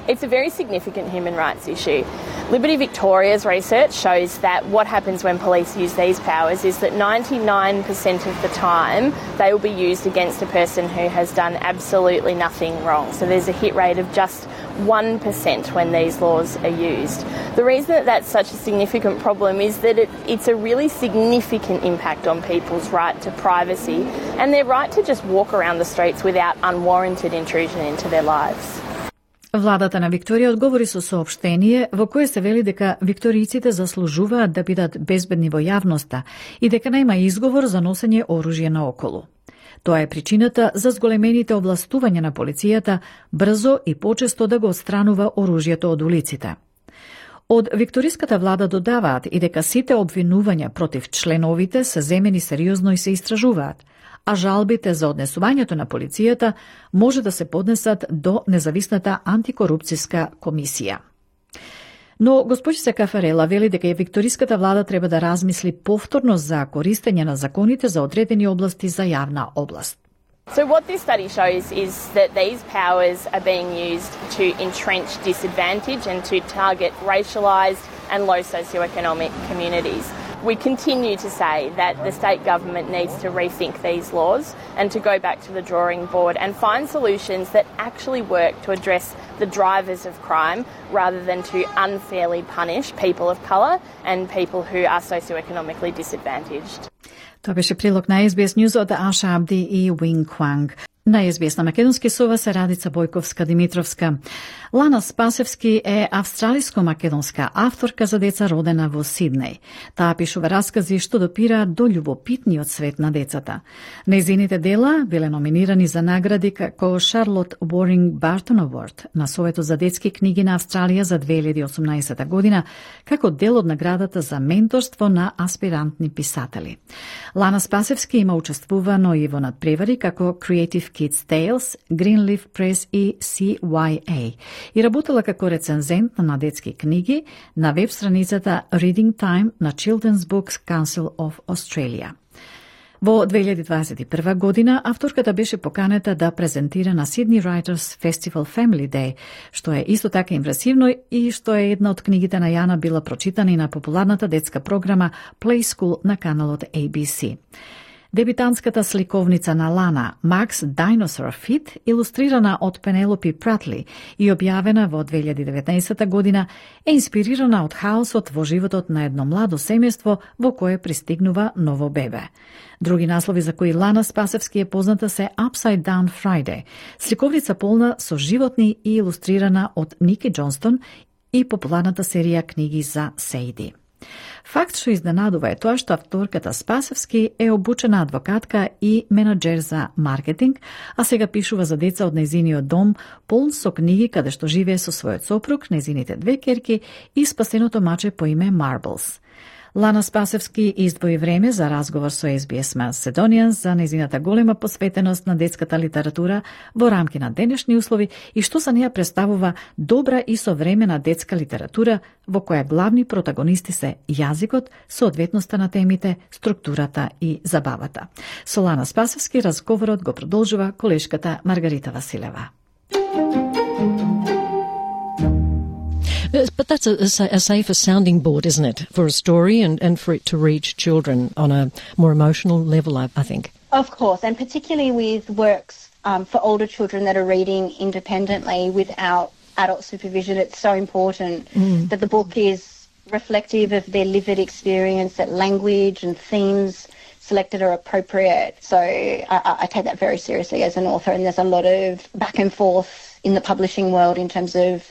It's a very significant human rights issue. Liberty Victoria's research shows that what happens when police use these powers is that ninety-nine percent of the time they will be used against a person who has done absolutely nothing wrong. So there's a hit rate of just one percent when these laws are used. The reason that that's such a significant problem is that it, it's a really significant impact on people's right to privacy and their right to just walk around the streets without unwarranted intrusion into their lives. Владата на Викторија одговори со соопштение во кое се вели дека викторијците заслужуваат да бидат безбедни во јавноста и дека нема изговор за носење оружје наоколу. Тоа е причината за зголемените овластувања на полицијата брзо и почесто да го отстранува оружјето од улиците. Од викториската влада додаваат и дека сите обвинувања против членовите се земени сериозно и се истражуваат, а жалбите за однесувањето на полицијата може да се поднесат до независната антикорупцијска комисија. Но госпожица Кафарела вели дека викториската влада треба да размисли повторно за користење на законите за одредени области за јавна област. So what this study shows is that these powers are being used to entrench disadvantage and to target racialised and low socioeconomic communities. We continue to say that the state government needs to rethink these laws and to go back to the drawing board and find solutions that actually work to address the drivers of crime rather than to unfairly punish people of colour and people who are socioeconomically disadvantaged. Тоа беше прилог на Ес Би Ес News од Аша Абди и Уинг Кванг. На Ес Би Ес на македонски со вас е Радица Бојковска-Димитровска. Лана Спасевски е австралиско-македонска авторка за деца родена во Сиднеј. Таа пишува раскази што допираат до љубопитниот свет на децата. Нејзините дела биле номинирани за награди како Шарлот Уоринг Бартон Award на Советот за детски книги на Австралија за две илјади и осумнаесета година, како дел од наградата за менторство на аспирантни писатели. Лана Спасевски има учествувано и во надпревари како Creative Kids Tales, Greenleaf Press и Си Уај Ей и работела како рецензент на детски книги на веб страницата Reading Time на Children's Books Council of Australia. Во две илјади дваесет и прва година авторката беше поканета да презентира на Sydney Writers Festival Family Day, што е исто така импресивно и што е една од книгите на Јана била прочитана и на популарната детска програма Play School на каналот Ей Би Си. Дебитантската сликовница на Лана, Mark's Dinosaur Fit, илустрирана од Пенелопи Пратли и објавена во две илјади и деветнаесета година, е инспирирана од хаосот во животот на едно младо семејство во кое пристигнува ново бебе. Други наслови за кои Лана Спасевски е позната се Upside Down Friday, сликовница полна со животни и илустрирана од Ники Џонстон и популарната серија книги за Сейди. Факт што изненадува е тоа што авторката Спасевски е обучена адвокатка и менаџер за маркетинг, а сега пишува за деца од нејзиниот дом, полн со книги каде што живее со својот сопруг, нејзините две керки и спасеното маче по име Marbles. Лана Спасевски издвои време за разговор со Ес Би Ес Macedonian за нејзината голема посветеност на детската литература во рамки на денешни услови и што за неја представува добра и современа детска литература во која главни протагонисти се јазикот, соодветноста на темите, структурата и забавата. Со Лана Спасевски разговорот го продолжува колешката Маргарита Василева. But that's a, a safer sounding board, isn't it, for a story and, and for it to reach children on a more emotional level, I, I think. Of course, and particularly with works um, for older children that are reading independently without adult supervision, it's so important mm. that the book is reflective of their lived experience, that language and themes selected are appropriate. So I, I take that very seriously as an author, and there's a lot of back and forth in the publishing world in terms of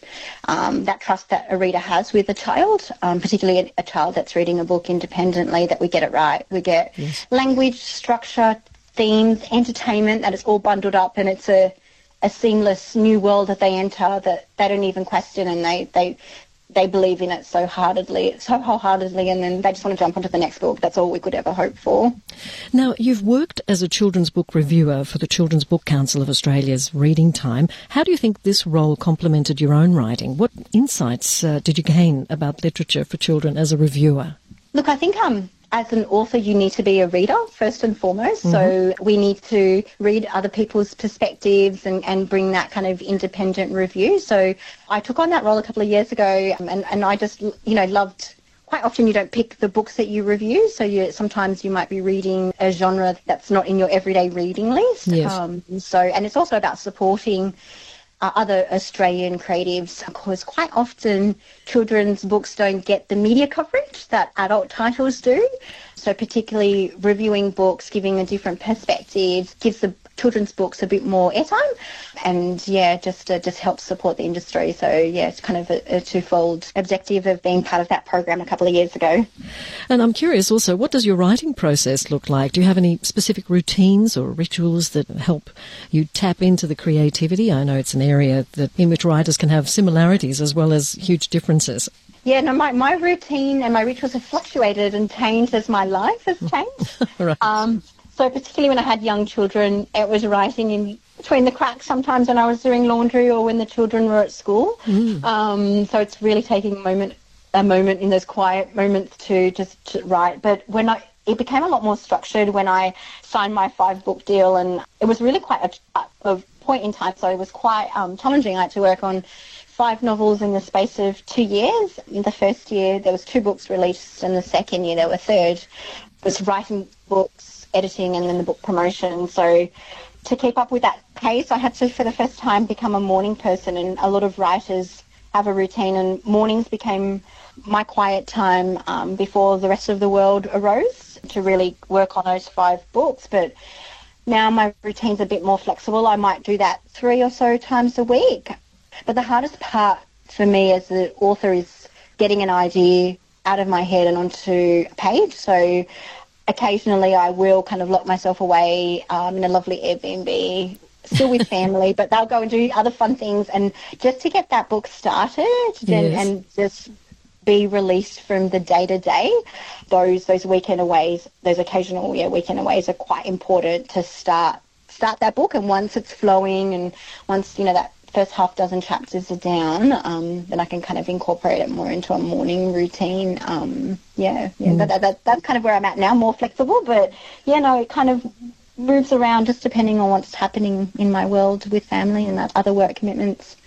um, that trust that a reader has with a child, um, particularly a, a child that's reading a book independently, that we get it right. We get yes. language, structure, themes, entertainment, that it's all bundled up and it's a, a seamless new world that they enter that they don't even question, and they, they they believe in it so heartedly, so wholeheartedly, and then they just want to jump onto the next book. That's all we could ever hope for. Now, you've worked as a children's book reviewer for the Children's Book Council of Australia's Reading Time. How do you think this role complemented your own writing? What insights uh, did you gain about literature for children as a reviewer? Look, I think um, as an author, you need to be a reader first and foremost. Mm-hmm. So we need to read other people's perspectives and, and bring that kind of independent review. So I took on that role a couple of years ago, um, and, and I just, you know, loved. Quite often you don't pick the books that you review, so you, sometimes you might be reading a genre that's not in your everyday reading list. Yes. Um, so, and it's also about supporting uh, other Australian creatives, because quite often children's books don't get the media coverage that adult titles do. So particularly reviewing books, giving a different perspective, gives the children's books a bit more airtime, and yeah, just uh, just helps support the industry. So yeah, it's kind of a, a twofold objective of being part of that program a couple of years ago. And I'm curious also, what does your writing process look like? Do you have any specific routines or rituals that help you tap into the creativity? I know it's an area that in which writers can have similarities as well as huge differences. Yeah, no, my, my routine and my rituals have fluctuated and changed as my life has changed. Right. Um, so particularly when I had young children, it was writing in between the cracks sometimes when I was doing laundry or when the children were at school. Mm. Um, so it's really taking a moment, a moment in those quiet moments to just to write. But when I, it became a lot more structured when I signed my five book deal, and it was really quite a, a point in time, so it was quite um, challenging. I had to work on five novels in the space of two years. In the first year, there was two books released, and the second year, there were third. It was writing books, editing, and then the book promotion. So to keep up with that pace, I had to, for the first time, become a morning person, and a lot of writers have a routine, and mornings became my quiet time um, before the rest of the world arose to really work on those five books. But now my routine's a bit more flexible. I might do that three or so times a week. But the hardest part for me as the author is getting an idea out of my head and onto a page. So occasionally I will kind of lock myself away um, in a lovely Airbnb, still with family, but they'll go and do other fun things. And just to get that book started and, Yes. and just be released from the day-to-day, those those weekend aways, those occasional yeah weekend aways are quite important to start start that book. And once it's flowing and once, you know, that first half dozen chapters are down, um, then I can kind of incorporate it more into a morning routine. Um, yeah, yeah Mm. that, that, that, that's kind of where I'm at now, more flexible. But, yeah, no, it kind of moves around just depending on what's happening in my world with family and that other work commitments.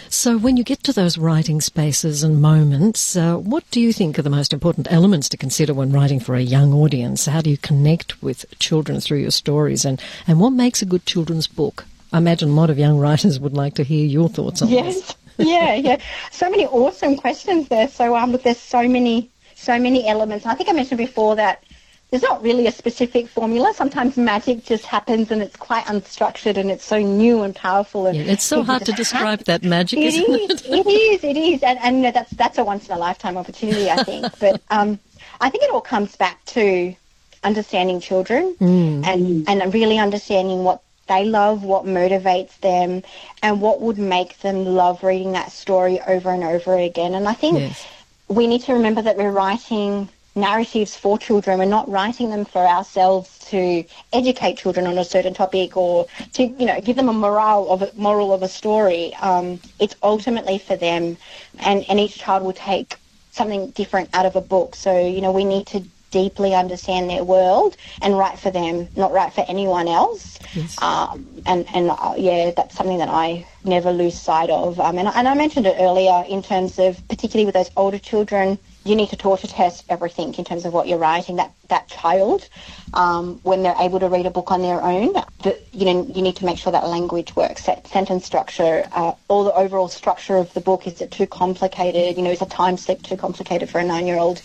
So when you get to those writing spaces and moments, uh, what do you think are the most important elements to consider when writing for a young audience? How do you connect with children through your stories, and, and what makes a good children's book? I imagine a lot of young writers would like to hear your thoughts on Yes. this. yeah, yeah. So many awesome questions there. So um, look, there's so many, so many elements. I think I mentioned before that there's not really a specific formula. Sometimes magic just happens and it's quite unstructured and it's so new and powerful. And Yeah, it's so people hard to just describe have- that magic, It isn't is, it? it is, it is. And, and you know, that's, that's a once-in-a-lifetime opportunity, I think. But um, I think it all comes back to understanding children Mm. and, and really understanding what they love, what motivates them, and what would make them love reading that story over and over again. And I think Yes. we need to remember that we're writing narratives for children. We're not writing them for ourselves to educate children on a certain topic or to, you know, give them a morale of a moral of a story. Um, it's ultimately for them, and, and each child will take something different out of a book. So, you know, we need to deeply understand their world and write for them, not write for anyone else. Yes. Um, and, and uh, yeah, that's something that I never lose sight of. Um, and, and I mentioned it earlier in terms of, particularly with those older children, you need to torture test everything in terms of what you're writing. That that child, um, when they're able to read a book on their own, but, you know, you need to make sure that language works, that sentence structure, uh, all the overall structure of the book. Is it too complicated? You know, is a time slip too complicated for a nine-year-old?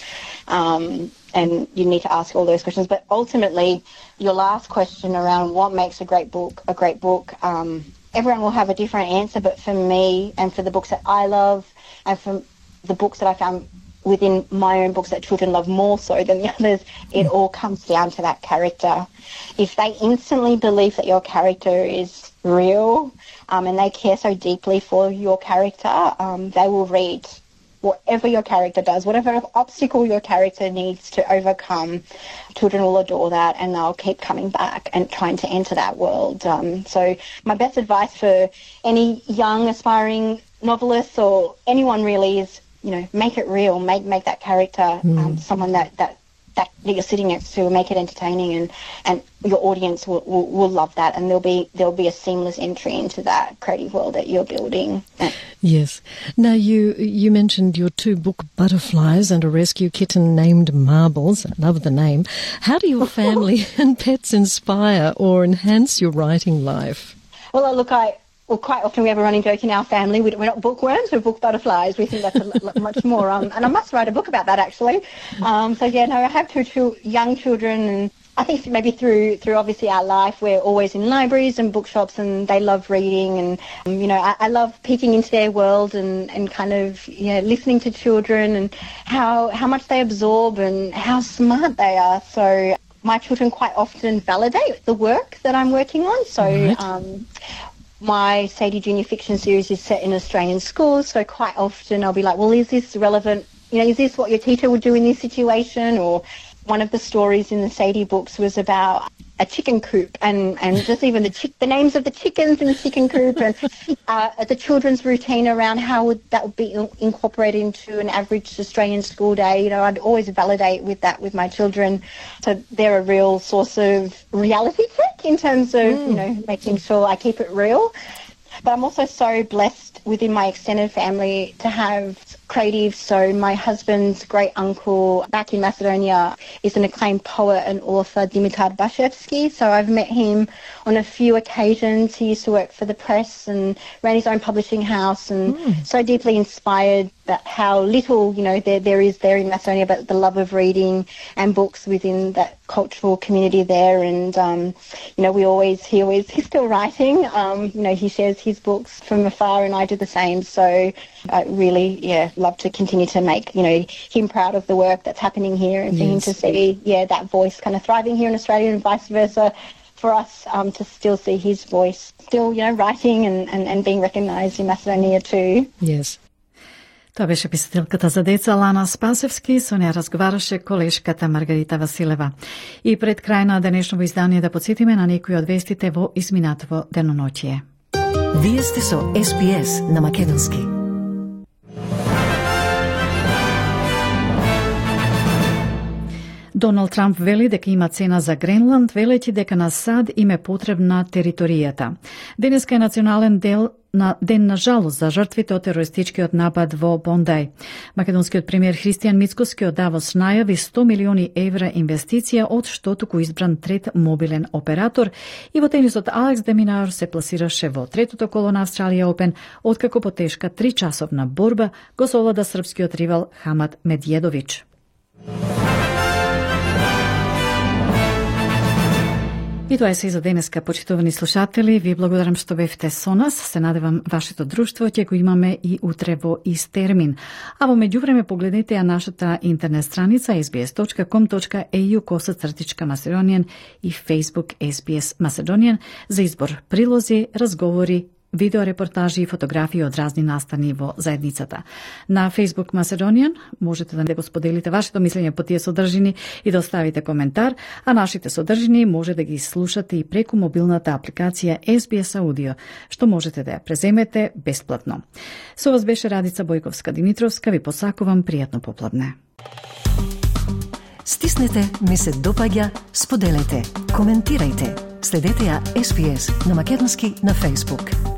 Um, and you need to ask all those questions. But ultimately, your last question around what makes a great book a great book, um, everyone will have a different answer. But for me, and for the books that I love, and for the books that I found within my own books that children love more so than the others, it all comes down to that character. If they instantly believe that your character is real, um, and they care so deeply for your character, um, they will read whatever your character does, whatever obstacle your character needs to overcome. Children will adore that, and they'll keep coming back and trying to enter that world. Um, so my best advice for any young aspiring novelists or anyone really is, you know, make it real, make make that character um, someone that, that, that you're sitting next to, make it entertaining, and, and your audience will, will, will love that, and there'll be there'll be a seamless entry into that creative world that you're building. Yes. Now, you you mentioned your two book butterflies and a rescue kitten named Marbles. I love the name. How do your family and pets inspire or enhance your writing life? Well, look, I well, quite often we have a running joke in our family. We- We're not bookworms, we're book butterflies. We think that's a l- much more. Um, and I must write a book about that, actually. Um, so, yeah, no, I have two, two young children, and I think maybe through through obviously our life, we're always in libraries and bookshops, and they love reading. And, um, you know, I, I love peeking into their world and, and kind of, you know, listening to children and how, how much they absorb and how smart they are. So my children quite often validate the work that I'm working on. So Right. um, my Sadie Junior Fiction series is set in Australian schools, so quite often I'll be like, well, is this relevant? You know, is this what your teacher would do in this situation? Or one of the stories in the Sadie books was about a chicken coop, and, and just even the chick, the names of the chickens in the chicken coop, and uh, the children's routine around how would that would be incorporated into an average Australian school day. You know, I'd always validate with that with my children. So they're a real source of reality check in terms of, mm. you know, making sure I keep it real. But I'm also so blessed within my extended family to have creatives. So my husband's great uncle back in Macedonia is an acclaimed poet and author, Dimitar Bashevsky. So I've met him on a few occasions. He used to work for the press and ran his own publishing house, and mm. so deeply inspired that how little, you know, there there is there in Macedonia, but the love of reading and books within that cultural community there. And um, you know, we always he always he's still writing. Um, you know, he shares his books from afar, and I do the same. So I really, yeah, love to continue to make, you know, him proud of the work that's happening here, and for yes. him to see, yeah, that voice kind of thriving here in Australia, and vice versa. For us um, to still see his voice still, you know, writing and, and, and being recognised in Macedonia too. Yes. Тоа беше писателката за деца Лана Спасевски, со неја разговараше колешката Маргарита Василева. И пред крај на денешното издание да подсетиме на некои од вестите во изминатово деноноќие. Вие сте со Ес Би Ес на македонски. Доналд Трамп вели дека има цена за Гренланд, велејќи дека на САД им е потребна територијата. Денеска е национален дел на ден на жалост за жртвите од терористичкиот напад во Бондај. Македонскиот премиер Христијан Мицкоски од Давос најави сто милиони евра инвестиција, од што туку избран трет мобилен оператор, и во тенисот Алекс де Минаур се пласираше во третото коло на Австралија Опен, откако по тешка тричасовна борба го совлада српскиот ривал Хамад Медједович. И тоа е се за денеска, почитувани слушатели. Ви благодарам што бевте со нас. Се надевам вашето друштво ќе го имаме и утре во ист термин. А во меѓувреме погледнете ја нашата интернет страница ес би ес точка ком точка ей ю косацртичка Macedonian и Facebook Ес Би Ес Macedonian за избор прилози, разговори, видеорепортажи и фотографии од разни настани во заедницата. На Facebook Macedonian можете да го споделите вашето мислење по тие содржини и да оставите коментар, а нашите содржини може да ги слушате и преку мобилната апликација Ес Би Ес Audio, што можете да ја преземете бесплатно. Со вас беше Радица Бојковска-Димитровска, ви посакувам пријатно попладне. Стиснете, ми се допаѓа, споделете, коментирајте. Следете ја Ес Би Ес на македонски на Facebook.